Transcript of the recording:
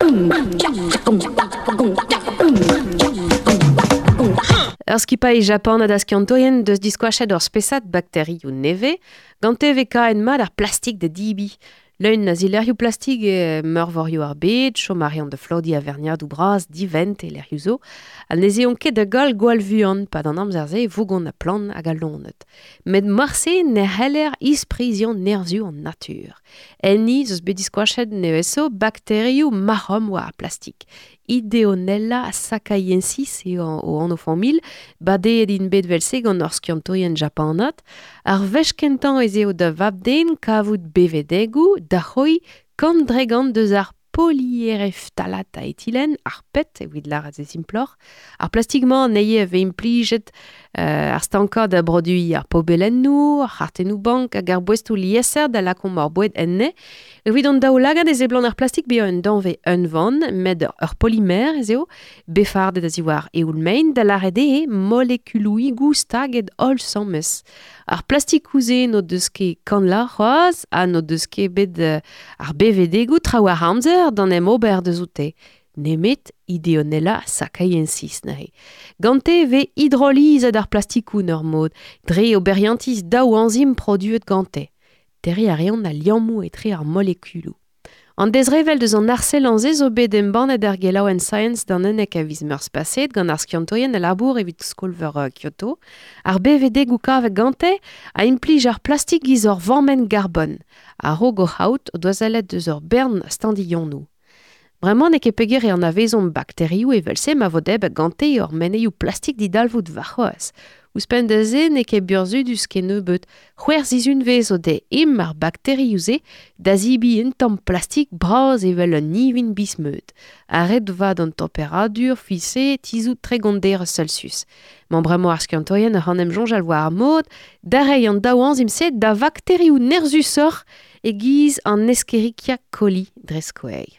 Ur skipailh japanat a skiantourien deus diskoachet ur spesad bakterioù nevez gante vez kaet mat ar plastik da dibi. Leun a zilerioù plastik e meurvorioù ar bed, chom a reont da flodiñ a-verniadoù bras divent e lec'hioù zo, ha ne zeont ket da goll gwall vuan pad an amzer-se e vougont ha plant hag al loened. Met morse ne c'heller ispriziañ nerzhioù an natur. Enni 'z eus bet diskoachet nevez-zo bakterioù mac'hom war ar plastik. Ideonella sakaiensis eo o anv familh, badeet int bet 'vel-se gant ur skiantourien japanat. Ar wech kentañ ez eo da vab-den kavout bevedegoù da c'hoiñ 130 deus ar poliereftalat a etilen, ar PET evit lâret se simploc'h. Ar plastik-mañ anezhe a vez implijet ar stankañ da broduiñ ar pobelennoù, ar c'hartennoù-bank hag ar boestoù liesseurt da lakaomp hor boued enne. Evit an daoulagad e seblant ar plastik bezañ un danvez unvan, met ur polimer ez eo, bet fardet a-ziwar eoul-maen, da lâret eo molekuloùigoù staget holl 'sames. Ar plastikoù-se n'o deus ket kanlañ c'hoazh ha n'o deus ket bet ar bevedegoù trawalc'h amzer d'an em ober deus oute. Nemet Ideonella sakaiensis neuze. Gante e vez hidrolizet ar plastikoù 'n ur mod, dre oberiantiz daou añzim produet gante. Terriñ a reont al liammoù etre ar molekuloù. An dezrevell deus an arsellañ-se zo bet embannet er gelaouenn Science d'an 11 a viz Meurzh paseet gant ar skiantourien a labour evit skol-veur Kyoto. Ar bevedegoù kavet gante a implij ar plastik giz ur vammenn garbon. A-raok o c'haout o doa sellet deus ur bern standilhonoù. Bremañ n'eo ket peger e anavezomp bakterioù evel-se ma vo debret gante hor menneioù plastik didalvoud warc'hoazh. Ouzhpenn da se n'eo ket burzhudus kennebeut. C'hwec'h sizhunvezh o dez e'mm ar bakterioù-se da zebriñ un tamm plastik bras evel un ivin biz-meud. Ha ret 'vat an temperadur fiñse tizhout 30 derez Celsius. Mañ bremañ ar skiantourien oc'h en em soñjal war ar mod da reiñ an daou añzim-se da vakterioù nerzhusoc'h e-giz an Escherichia coli dre skouer.